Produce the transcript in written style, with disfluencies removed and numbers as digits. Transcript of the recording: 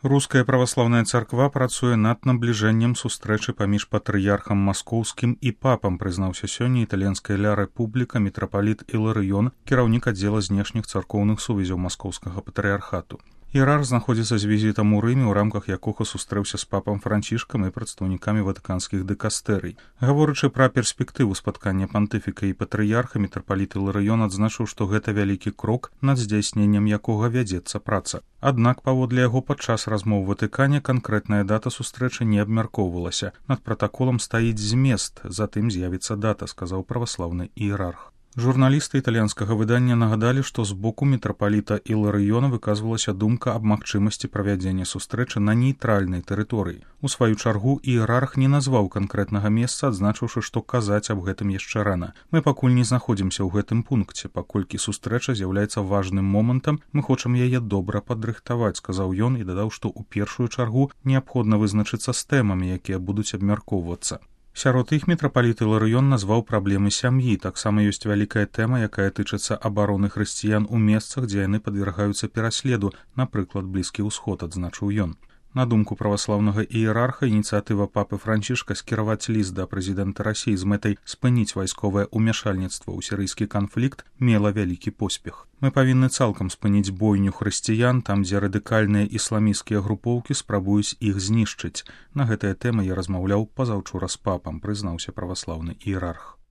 Руская праваслаўная царква працуе над набліжэннем сустрэчы паміж патрыярхам маскоўскім і папам, прызнаўся сёння італьянская ля рэпубліка мітрапаліт Іларыён, кіраўнік аддзела знешніх царкоўных сувязяў маскоўскага патрыярхату. Іерарх знаходзіцца з візітам у Рыме, у рамках якога сустрэўся з папам Францішкам і прадстаўнікамі ватыканскіх дыкастэрый. Гаворачы пра перспектыву спаткання пантыфіка і патрыярха, мітрапаліт Іларыён адзначыў, што гэта вялікі крок, над здзяйсненнем якога вядзецца праца. Аднак, паводле яго, падчас размоў у Ватыкане канкрэтная дата сустрэчы не абмяркоўвалася. Над пратаколам стаіць змест, затым з'явіцца дата, сказаў праваслаўны іерарх. Журналісты італьянскага выдання нагадалі, што з боку мітрапаліта Іларыёна выказвалася думка аб магчымасці правядзення сустрэчы на нейтральнай тэрыторыі. У сваю чаргу іерарх не назваў канкрэтнага месца, адзначыўшы, што казаць аб гэтым яшчэ рана. Мы пакуль не знаходзімся ў гэтым пункце, паколькі сустрэча з'яўляецца важным момантам, мы хочам яе добра падрыхтаваць, сказаў ён і дадаў, што ў першую чаргу неабходна вызначыцца з тэмамі, якія будуць абмяркоўвацца. Сярод іх мітрапаліт Іларыён назваў праблемы сям'і. Таксама ёсць вялікая тэма, якая тычыцца абароны хрысціян у месцах, дзе яны падвяргаюцца пераследу, напрыклад, Блізкі ўсход, адзначыў ён. На думку праваслаўнага іерарха, ініцыятыва папы Францішка скіраваць ліст да прэзідэнта Расіі з мэтай спыніць вайсковае ўмяшальніцтва ў сірыйскі канфлікт мела вялікі поспех. Мы павінны цалкам спыніць бойню хрысціян там, дзе радыкальныя ісламісцкія групоўкі спрабуюць іх знішчыць. На гэтыя тэмы я размаўляў пазаўчора з папам, прызнаўся праваслаўны іерарх.